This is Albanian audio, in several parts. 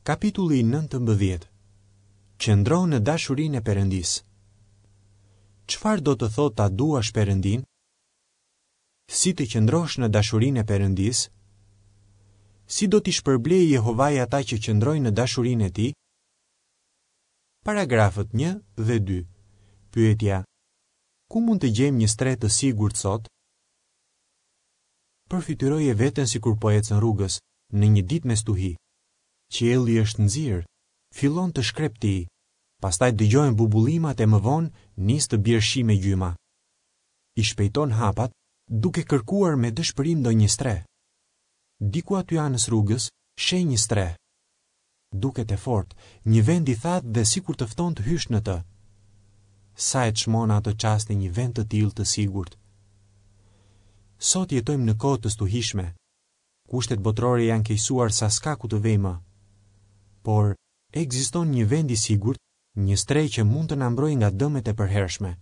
Kapitulli 19 Qëndro në dashurinë e Perëndisë Çfarë do të thotë ta duash Perëndinë? Si të qëndrosh në dashurinë e Perëndisë? Si do t'i shpërblejë Jehovai ata që qëndrojnë në dashurinë e tij? Paragrafët 1 dhe 2. Pyetja: Ku mund të gjejmë një strehë të sigurt sot? Përfytyroje veten sikur po ecën rrugës, në një ditë me stuhi. Qielli është nxirë, fillon të shkreptijë, pastaj dëgjohen bubullimat e më vonë nis të bjerë shi me gjyma. I shpejton hapat, duke kërkuar me dëshpërim ndonjë strehë. Diku aty anës rrugës, sheh një strehë. Duket e fortë, një vend i thatë dhe sikur të fton të hysh në të. Sa e çmon në ato çaste një vend të tillë të sigurt. Sot jetojmë në kohë të stuhishme. Kushtet botërore janë keqësuar sa s'ka ku të vejë më. Por, ekziston një vend i sigurt, një strehë që mund të na mbrojë nga dëmet e përhershme.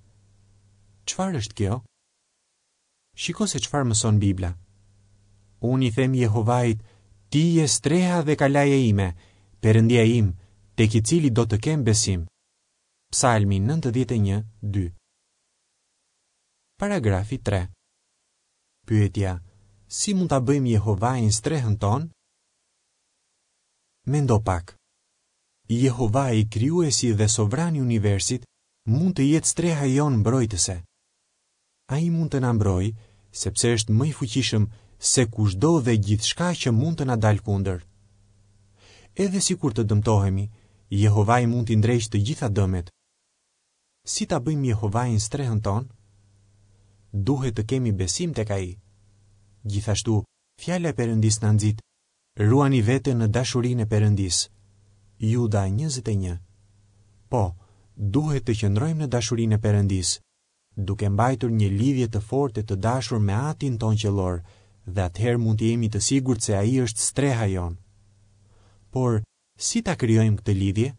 Çfarë është kjo? Shiko se çfarë mëson Bibla. Unë i them Jehovait, ti je streha dhe kalaja ime, Perëndia im, tek i cili do të kem besim. Psalmi 91, 2. Paragrafi 3. Pyetja, si mund ta bëjmë Jehovain strehën tonë? Mendo pak. Jehovai, krijuesi dhe sovrani i universit, mund të jetë streha jonë mbrojtëse. Ai mund të na mbrojë, sepse është më i fuqishëm se kushdo dhe gjithçka që mund të na dalë kundër. Edhe sikur të dëmtohemi, Jehovai mund t'i ndreqë të gjitha dëmet. Si ta bëjmë Jehovain strehën tonë? Duhet të kemi besim tek ai. Gjithashtu, fjala e Perëndisë na nxit, Ruani veten në dashurinë e Perëndisë. Juda 21. Po, duhet të qëndrojmë në dashurinë e Perëndisë, duke mbajtur një lidhje të fortë e të dashur me Atin tonë qiellor dhe atëherë mund të jemi të sigurt se Ai është streha jonë. Por, si ta krijojmë këtë lidhje?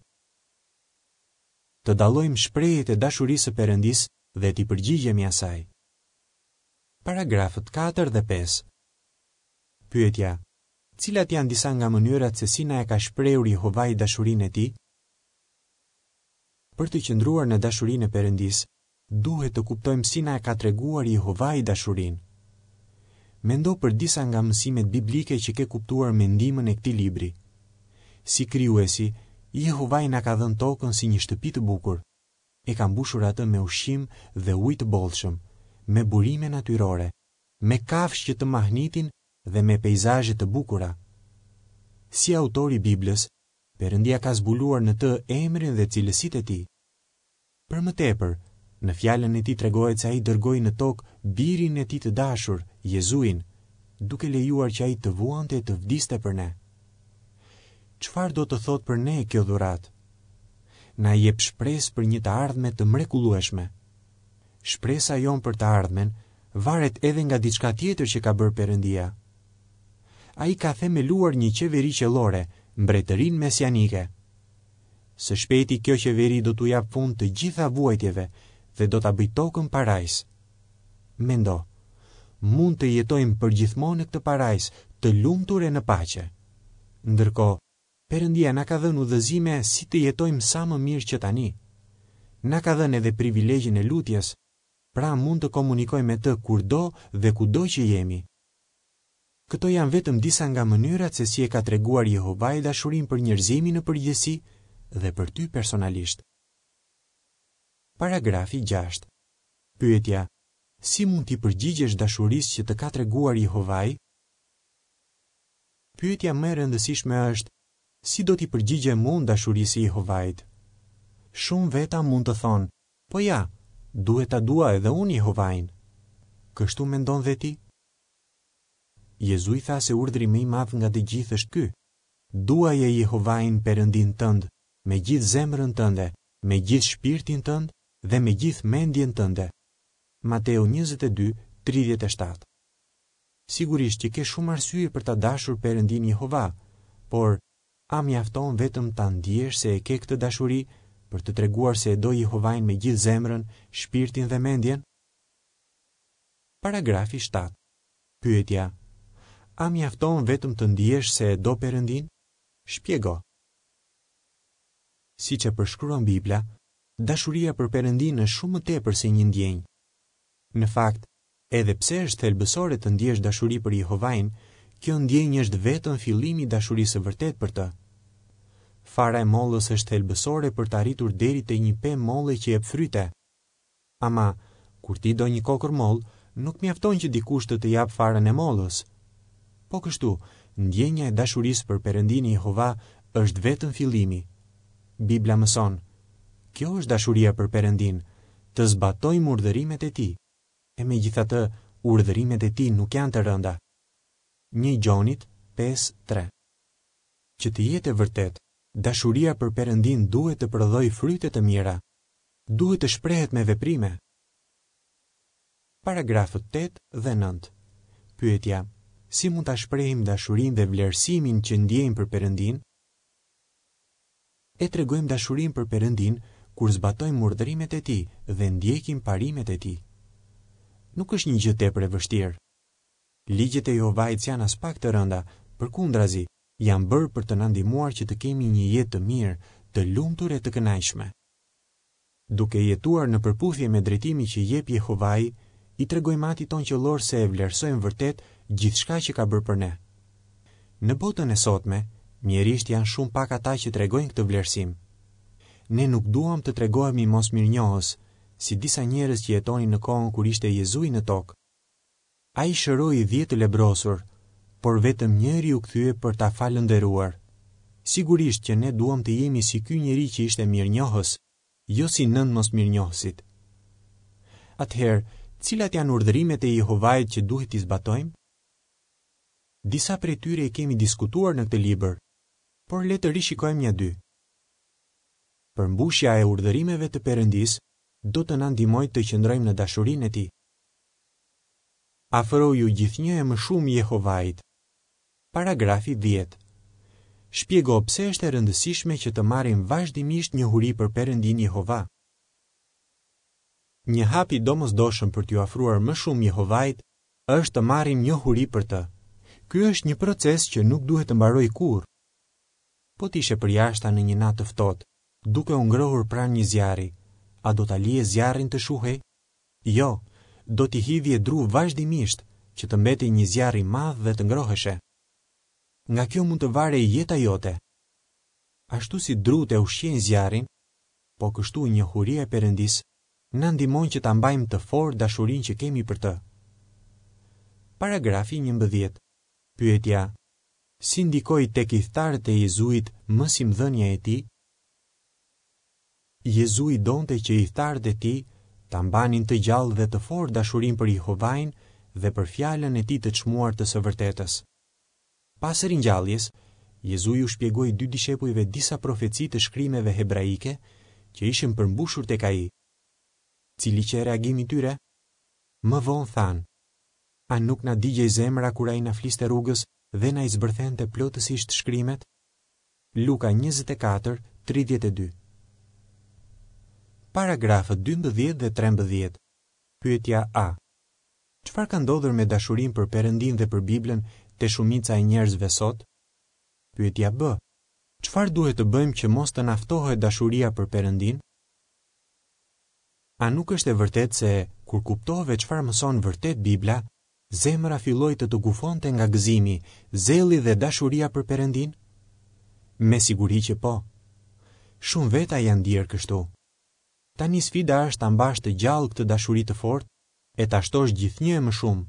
Të dallojmë shprehjet e dashurisë së Perëndisë dhe t'i përgjigjemi asaj. Paragrafët 4 dhe 5. Pyetja: Cilat janë disa nga mënyrat se si na e ka shprehur Jehovai dashurinë e tij? Për të qëndruar në dashurinë e Perëndisë, duhet të kuptojmë si na e ka treguar Jehovai dashurinë. Mendo për disa nga mësimet biblike që ke kuptuar me ndihmën e këtij libri. Si Krijuesi, Jehovai na ka dhënë tokën si një shtëpi të bukur. E ka mbushur atë me ushqim dhe ujë të bollshëm, me burime natyrore, me kafshë që të mahnitin dhe me peizazhe të bukura. Si autor i Biblës, Perëndia ka zbuluar në të emrin dhe cilësitë e tij. Për më tepër, në Fjalën e tij tregohet se ai dërgoi në tokë Birin e tij të dashur, Jezuin, duke lejuar që ai të vuante e të vdiste për ne. Çfarë do të thotë për ne kjo dhuratë? Na jep shpresë për një të ardhme të mrekullueshme. Shpresa jonë për të ardhmen varet edhe nga diçka tjetër që ka bërë Perëndia. Ai ka themeluar një qeveri qiellore, Mbretërinë Mesianike. Së shpejti kjo qeveri do t'u japë fund të gjitha vuajtjeve dhe do ta bëjë tokën parajsë. Mendo, mund të jetojmë përgjithmonë në këtë parajsë, të lumtur e në paqe. Ndërkohë, Perëndia na ka dhënë udhëzime si të jetojmë sa më mirë që tani. Na ka dhënë edhe privilegjin e lutjes, pra mund të komunikojmë me të kurdo dhe kudo që jemi. Këto janë vetëm disa nga mënyrat se si e ka treguar Jehovai dashurinë për njerëzimin në përgjithësi dhe për ty personalisht. Paragrafi 6. Pyetja: Si mund t'i përgjigjesh dashurisë që të ka treguar Jehovai? Pyetja më e rëndësishme është, si do t'i përgjigjem unë dashurisë së Jehovait? Shumë veta mund të thonë, po ja, duhet ta dua edhe unë Jehovain. Kështu mendon dhe ti? Jezui tha se urdhri më i madh nga të gjithë është ky, Duaje Jehovain Perëndinë tënd me gjithë zemrën tënde, me gjithë shpirtin tënd dhe me gjithë mendjen tënde. Mateu 22, 37. Sigurisht që ke shumë arsye për ta dashur Perëndinë Jehova, por a mjafton vetëm ta ndjesh se e ke këtë dashuri për të treguar se e do Jehovain me gjithë zemrën, shpirtin dhe mendjen? Paragrafi 7. Pyetja: A mjafton vetëm të ndjesh se e do Perëndinë? Shpjego. Siç e përshkruan Bibla, dashuria për Perëndinë është shumë më tepër se një ndjenjë. Në fakt, edhe pse është thelbësore të ndjesh dashuri për Jehovain, kjo ndjenjë është vetëm fillimi i dashurisë së vërtetë për të. Fara e mollës është thelbësore për të arritur deri te një pemë molle që jep fryte. Ama, kur ti do një kokërr mollë, nuk mjafton që dikush të të japë farën e mollës. Po kështu, ndjenja e dashurisë për Perëndinë Jehova është vetëm fillimi. Bibla mëson, Kjo është dashuria për Perëndinë, të zbatojmë urdhërimet e Tij. E megjithatë, urdhërimet e Tij nuk janë të rënda. Një Gjonit 5, 3 Që të jetë e vërtetë, dashuria për Perëndinë duhet të prodhojë fryte të mira. Duhet të shprehet me veprime. Paragrafët 8 dhe 9. Pyetja: Si mund ta shprehim dashurinë dhe vlerësimin që ndjejmë për Perëndinë? E tregojmë dashurinë për Perëndinë kur zbatojmë urdhërimet e Tij dhe ndjekim parimet e Tij. Nuk është një gjë tepër e vështirë. Ligjet e Jehovait s'janë aspak të rënda, përkundrazi, janë bërë për të na ndihmuar që të kemi një jetë të mirë, të lumtur e të kënaqshme. Duke jetuar në përputhje me drejtimin që jep Jehovai, i tregojmë Atit tonë qiellor se e vlerësojmë vërtet gjithçka që ka bërë për ne. Në botën e sotme, mjerisht janë shumë pak ata që tregojnë këtë vlerësim. Ne nuk duam të tregohemi mosmirënjohës, si disa njerëz që jetonin në kohën kur ishte Jezui në tokë. Ai shëroi dhjetë të lebrosur, por vetëm njëri u kthye për ta falënderuar. Sigurisht që ne duam të jemi si ky njeri që ishte mirënjohës, jo si nëntë mosmirënjohësit. Atëherë, cilat janë urdhërimet e Jehovait që duhet t'i zbatojmë? Disa prej tyre i kemi diskutuar në këtë libër, por le të rishikojmë nja dy. Përmbushja e urdhërimeve të Perëndisë do të na ndihmojë të qëndrojmë në dashurinë e Tij. Afroju gjithnjë e më shumë Jehovait. Paragrafi 10. Shpjego pse është e rëndësishme që të marrim vazhdimisht njohuri për Perëndinë Jehova. Një hap i domosdoshëm për t'iu afruar më shumë Jehovait është të marrim njohuri për të. Ky është një proces që nuk duhet të mbarojë kurrë. Po të ishe përjashta në një natë të ftohtë, duke u ngrohur pranë një zjarri, a do ta lije zjarrin të shuhej? Jo, do t'i hidhje dru vazhdimisht, që të mbetej një zjarr i madh dhe të ngroheshe. Nga kjo mund të varej jeta jote. Ashtu si drutë e ushqejnë zjarrin, po kështu njohuria e Perëndisë na ndihmon që ta mbajmë të fortë dashurinë që kemi për të. Paragrafi 11. Pyetja: Si ndikoi tek ithtarët e Jezuit mësimdhënia e tij? Jezui donte që ithtarët e tij ta mbanin të gjallë dhe të fortë dashurinë për Jehovain dhe për fjalën e tij të çmuar të së vërtetës. Pas ringjalljes, Jezui u shpjegoi dy dishepujve disa profeci të shkrimeve hebraike që ishin përmbushur tek ai. Cili qe reagimi i tyre? Më vonë thanë, A nuk na digjej zemra kur ai na fliste rrugës dhe na i zbërthente plotësisht shkrimet? Luka 24, 32 Paragrafët 12 dhe 13 Pyetja A Çfarë ka ndodhur me dashurinë për Perëndinë dhe për Biblën te shumica e njerëzve sot? Pyetja B Çfarë duhet të bëjmë që mos të na ftohet dashuria për Perëndinë? A nuk është e vërtetë se kur kuptove çfarë mëson vërtet Bibla, Zemra filloi të të gufonte nga gëzimi, zelli dhe dashuria për Perëndinë? Me siguri që po. Shumë veta janë ndier kështu. Tani sfida është ta mbash të gjallë këtë dashuri të fortë e ta shtosh gjithnjë e më shumë.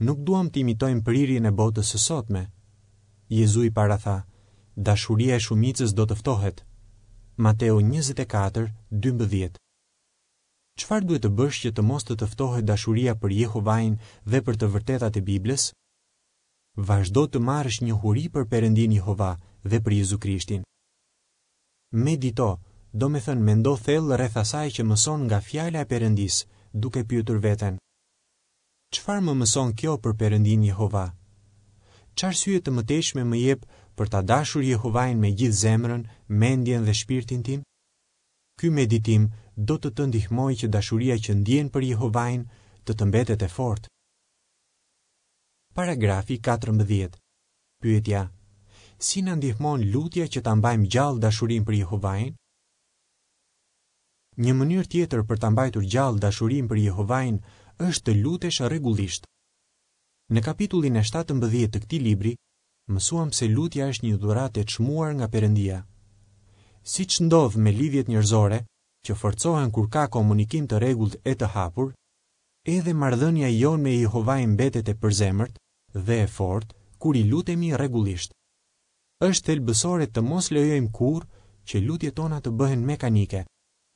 Nuk duam të imitojmë prirjen e botës së sotme. Jezui paratha, dashuria e shumicës do të ftohet. Mateu 24, 12. Çfarë duhet të bësh që të mos të të ftohet dashuria për Jehovain dhe për të vërtetat e Biblës? Vazhdo të marrësh njohuri për Perëndinë Jehova dhe për Jezu Krishtin. Medito, domethënë mendo thellë rreth asaj që mëson nga Fjala e Perëndisë, duke pyetur veten, Çfarë më mëson kjo për Perëndinë Jehova? Ç'arsye të mëtejshme më jep për ta dashur Jehovain me gjithë zemrën, mendjen dhe shpirtin tim? Ky meditim do të të ndihmojë që dashuria që ndjen për Jehovain të të mbetet e fortë. Paragrafi 14. Pyetja: Si na ndihmon lutja që ta mbajmë gjallë dashurinë për Jehovain? Një mënyrë tjetër për ta mbajtur gjallë dashurinë për Jehovain është të lutesh rregullisht. Në kapitullin e 17 të këtij libri, mësuam se lutja është një dhuratë e çmuar nga Perëndia. Siç ndodh me lidhjet njerëzore, që forcohen kur ka komunikim të rregullt e të hapur, edhe marrëdhënia jonë me Jehovain mbetet e përzemërt dhe e fortë kur i lutemi rregullisht. Është thelbësore të mos lejojmë kurrë që lutjet tona të bëhen mekanike,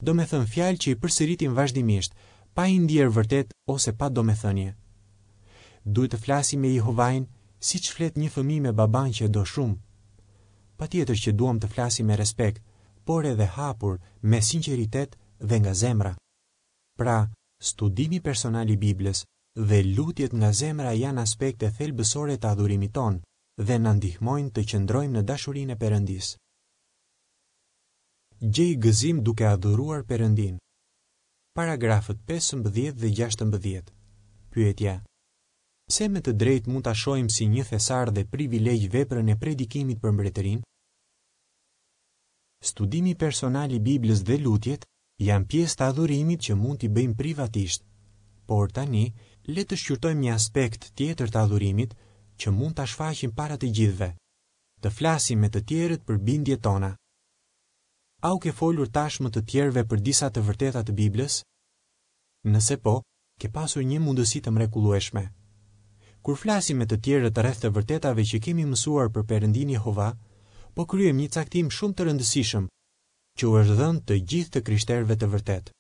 domethënë fjalë që i përsëritim vazhdimisht, pa i ndier vërtet ose pa domethënie. Duhet të flasim me Jehovain siç flet një fëmijë me babanë që e do shumë. Patjetër që duam të flasim me respekt, por edhe hapur, me sinqeritet dhe nga zemra. Pra, studimi personal i Biblës dhe lutjet nga zemra janë aspekte thelbësore të adhurimit tonë dhe na ndihmojnë të qëndrojmë në dashurinë e Perëndisë. Gjej gëzim duke adhuruar Perëndinë. Paragrafët 15 dhe 16. Pyetja: Pse me të drejtë mund ta shohim si një thesar dhe privilegj veprën e predikimit për mbretërinë? Studimi personal i Biblës dhe lutjet janë pjesë të adhurimit që mund t'i bëjmë privatisht. Por tani, le të shqyrtojmë një aspekt tjetër të adhurimit që mund ta shfaqim para të gjithëve. Të flasim me të tjerët për bindjet tona. A u ke folur tashmë të tjerëve për disa të vërteta të Biblës? Nëse po, ke pasur një mundësi të mrekullueshme. Kur flasim me të tjerët rreth të vërtetave që kemi mësuar për Perëndinë Jehova, po kryejmë një caktim shumë të rëndësishëm që u është dhënë të gjithë të krishterëve të vërtetë.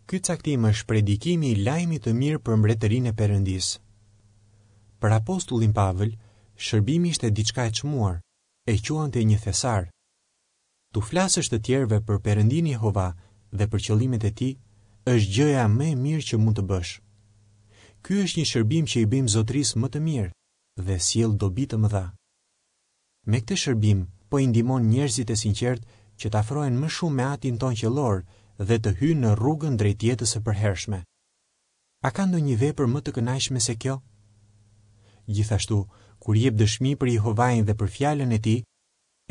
Ky caktim është predikimi i lajmit të mirë për mbretërinë e Perëndisë. Për apostullin Pavël, shërbimi ishte diçka e çmuar, e quante një thesar. T'u flasësh të tjerëve për Perëndinë Jehova dhe për qëllimet e tij, është gjëja më e mirë që mund të bësh. Ky është një shërbim që i bëjmë Zotërisë më të mirë dhe sjell dobi të mëdha. Me këtë shërbim po i ndihmon njerëzit e sinqertë që të afrohen më shumë me Atin tonë qiellor dhe të hyjnë në rrugën drejt jetës së përhershme. A ka ndonjë vepër më të kënaqshme se kjo? Gjithashtu, kur jep dëshmi për Jehovain dhe për Fjalën e Tij,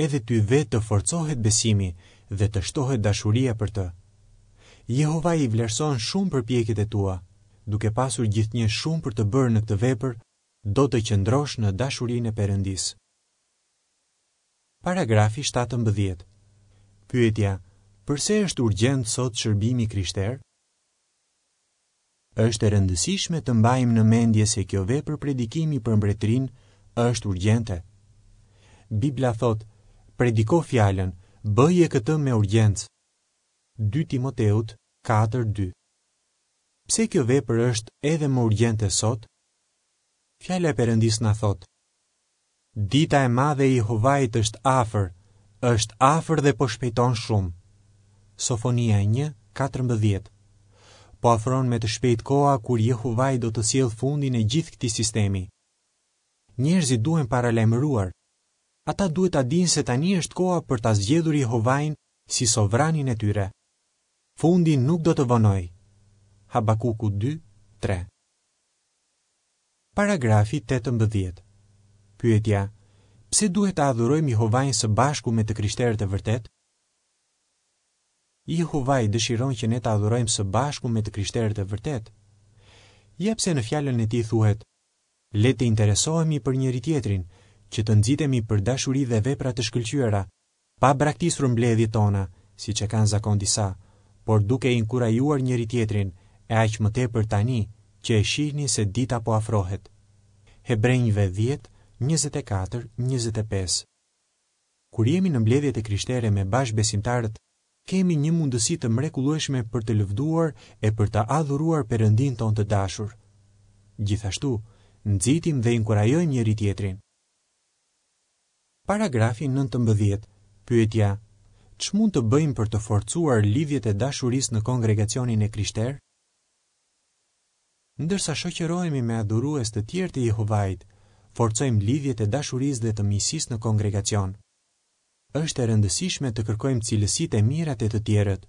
edhe ty vetë të forcohet besimi dhe të shtohet dashuria për të. Jehovai i vlerëson shumë përpjekjet e tua, duke pasur gjithnjë shumë për të bërë në këtë vepër, do të qëndrosh në dashurinë e Perëndisë. Paragrafi 17. Pyetja: Përse është urgjent sot shërbimi i krishterë? Është e rëndësishme të mbajmë në mendje se kjo vepër predikimi për mbretërinë është urgjente. Bibla thotë: Prediko fjalën, bëje këtë me urgjencë. 2 Timoteut 4:2. Pse kjo vepër është edhe më urgjente sot? Fjala e Perëndisë na thotë: Dita e madhe e Jehovait është afër, është afër dhe po shpejton shumë. Sofonia 1, 14 Po afron me të shpejtë koha kur Jehovai do të sjellë fundin e gjithë këtij sistemi. Njerëzit duhen paralajmëruar. Ata duhet ta dinë se tani është koha për ta zgjedhur Jehovain si sovranin e tyre. Fundi nuk do të vonojë. Habakuku 2, 3 Paragrafi 18. Pyetja: Pse duhet ta adhurojmë Jehovain së bashku me të krishterët e vërtetë? Jehovai dëshiron që ne ta adhurojmë së bashku me të krishterët e vërtetë. Ja pse në fjalën e tij thuhet: Le të interesohemi për njëri-tjetrin, që të nxitemi për dashuri dhe vepra të shkëlqyera, pa braktisur mbledhjet tona, siç e kanë zakon disa, por duke inkurajuar njëri-tjetrin, e aq më tepër tani, që e shihni se dita po afrohet. Hebrenjve 10, 24, 25 Kur jemi në mbledhjet e krishtere me bashkëbesimtarët, kemi një mundësi të mrekullueshme për të lëvduar e për të adhuruar Perëndinë tonë të dashur. Gjithashtu, nxitim dhe inkurajojmë njëri-tjetrin. Paragrafi 19. Pyetja: Ç'mund të bëjmë për të forcuar lidhjet e dashurisë në kongregacionin e krishterë? Ndërsa shoqërohemi me adhurues të tjerë të Jehovait, forcojmë lidhjet e dashurisë dhe të miqësisë në kongregacion. Është e rëndësishme të kërkojmë cilësitë e mira te të tjerët,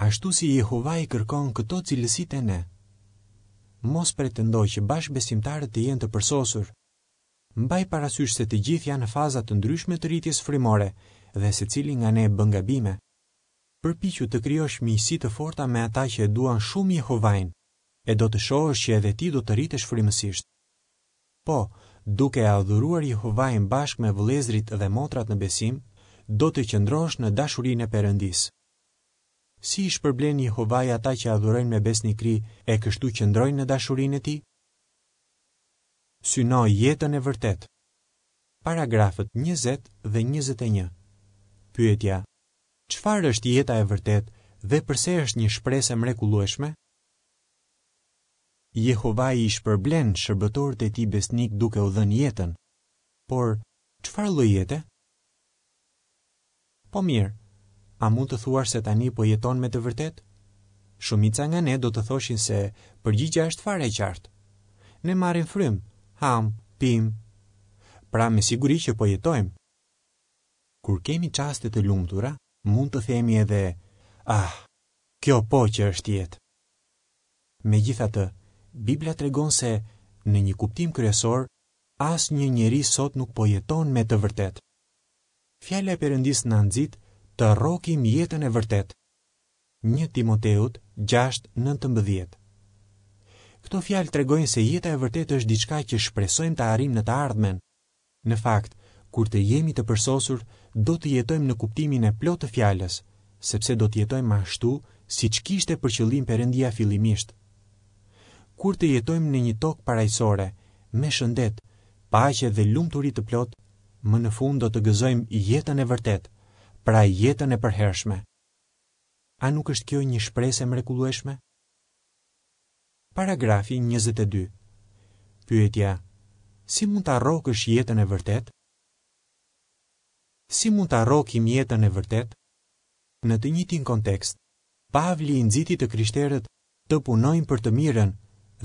ashtu si Jehovai kërkon këto cilësi te ne. Mos pretendo që bashkëbesimtarët të jenë të përsosur. Mbaj parasysh se të gjithë janë në faza të ndryshme të rritjes frymore dhe secili nga ne bën gabime. Përpiqu të krijosh miqësi të forta me ata që e duan shumë Jehovain, e do të shohësh që edhe ti do të rritesh frymësisht. Po, duke e adhuruar Jehovain bashkë me vëllezërit dhe motrat në besim, do të qëndrosh në dashurinë e Perëndisë. Si i shpërblen Jehovai ata që adhurojnë me besnikëri e kështu qëndrojnë në dashurinë e tij? Syno jetën e vërtetë. Paragrafët 20 dhe 21. Pyetja: Çfarë është jeta e vërtetë dhe përse është një shpresë e mrekullueshme? Jehovai i shpërblen shërbëtorët e tij besnikë duke u dhënë jetën. Por, çfarë lloj jete? Po mirë, a mund të thuash se tani po jeton me të vërtetë? Shumica nga ne do të thoshin se përgjigja është fare e qartë. Ne marrim frymë, hamë, pimë. Pra me siguri që po jetojmë. Kur kemi çaste të lumtura, mund të themi edhe, ah, kjo po që është jetë. Megjithatë, Bibla tregon se, në një kuptim kryesor, asnjë njeri sot nuk po jeton me të vërtetë. Fjala e Perëndisë na nxit të rrokim jetën e vërtetë. 1 Timoteut 6:19. Këto fjalë tregojnë se jeta e vërtetë është diçka që shpresojmë ta arrijmë në të ardhmen. Në fakt, kur të jemi të përsosur, do të jetojmë në kuptimin e plotë të fjalës, sepse do të jetojmë ashtu siç kishte për qëllim Perëndia fillimisht. Kur të jetojmë në një tokë parajsore, me shëndet, paqe dhe lumturi të plotë, më në fund do të gëzojmë jetën e vërtetë, pra jetën e përhershme. A nuk është kjo një shpresë e mrekullueshme? Paragrafi 22. Pyetja: Si mund ta rrokësh jetën e vërtetë? Si mund ta rrokim jetën e vërtetë? Në të njëjtin kontekst, Pavli i nxiti të krishterët të punojnë për të mirën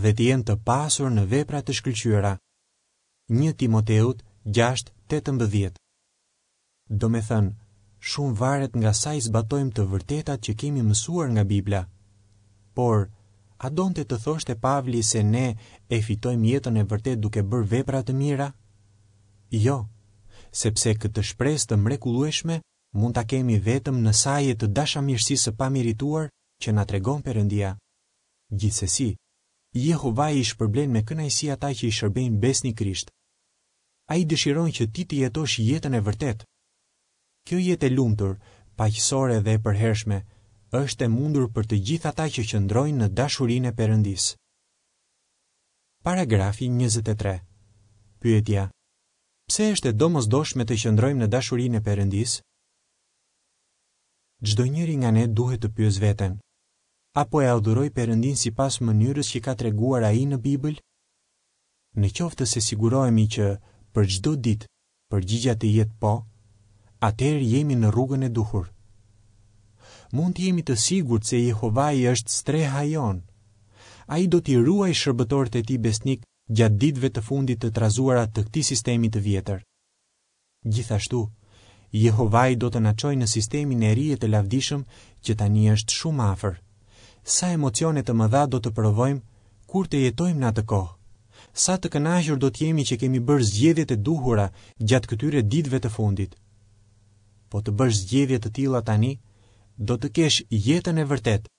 dhe të jenë të pasur në vepra të shkëlqyera. 1 Timoteut 6:18. Domethënë, shumë varet nga sa i zbatojmë të vërtetat që kemi mësuar nga Bibla. Por, a donte të thoshte Pavli se ne e fitojmë jetën e vërtetë duke bërë vepra të mira? Jo, sepse këtë shpresë të mrekullueshme mund ta kemi vetëm në saje të dashamirësisë së pamerituar që na tregon Perëndia. Gjithsesi, Jehovai i shpërblen me kënaqësi ata që i shërbejnë besnikërisht. Ai dëshiron që ti të jetosh jetën e vërtetë. Kjo jetë e lumtur, paqësore dhe e përhershme është e mundur për të gjithë ata që qëndrojnë në dashurinë e Perëndisë. Paragrafi 23. Pyetja: Pse është e domosdoshme të qëndrojmë në dashurinë e Perëndisë? Çdo njeri nga ne duhet të pyesë veten, A po e adhuroj Perëndinë sipas mënyrës që ka treguar Ai në Bibël? Në qoftë se sigurohemi që për çdo ditë përgjigja të jetë po, atëherë jemi në rrugën e duhur. Mund të jemi të sigurt se Jehovai është streha jonë. Ai do t'i ruajë shërbëtorët e tij besnikë gjatë ditëve të fundit të trazuara të këtij sistemi të vjetër. Gjithashtu, Jehovai do të na çojë në sistemin e ri e të lavdishëm që tani është shumë afër. Sa emocione të mëdha do të provojmë kur të jetojmë në atë kohë! Sa të kënaqur do të jemi që kemi bërë zgjedhjet e duhura gjatë këtyre ditëve të fundit. Po të bësh zgjedhje të tilla tani, do të kesh jetën e vërtetë,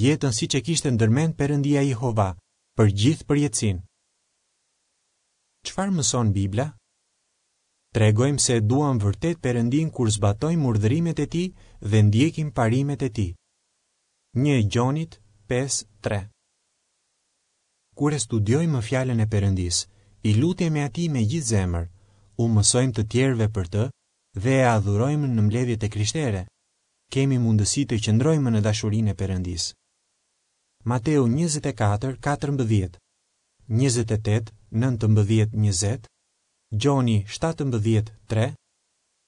jetën siç e kishte ndërmend Perëndia Jehova për gjithë përjetësinë. Çfarë mëson Bibla? Tregojmë se e duam vërtet Perëndinë kur zbatojmë urdhërimet e Tij dhe ndjekim parimet e Tij. 1 Gjonit 5:3 Kur e studiojmë Fjalën e Perëndisë, i lutemi Atij me gjithë zemër, u mësojmë të tjerëve për të dhe e adhurojmë në mbledhjet e krishtere, kemi mundësi të qëndrojmë në dashurinë e Perëndisë. Mateu 24, 14, 28, 19, 20, Gjoni 17, 3,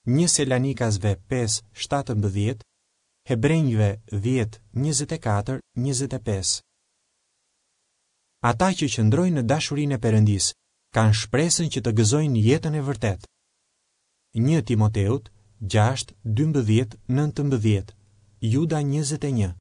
1 Selanikasve 5, 17, Hebrenjve 10, 24, 25. Ata që qëndrojnë në dashurinë e Perëndisë kanë shpresën që të gëzojnë jetën e vërtetë. 1 Timoteut 6, 12, 19, Juda 21.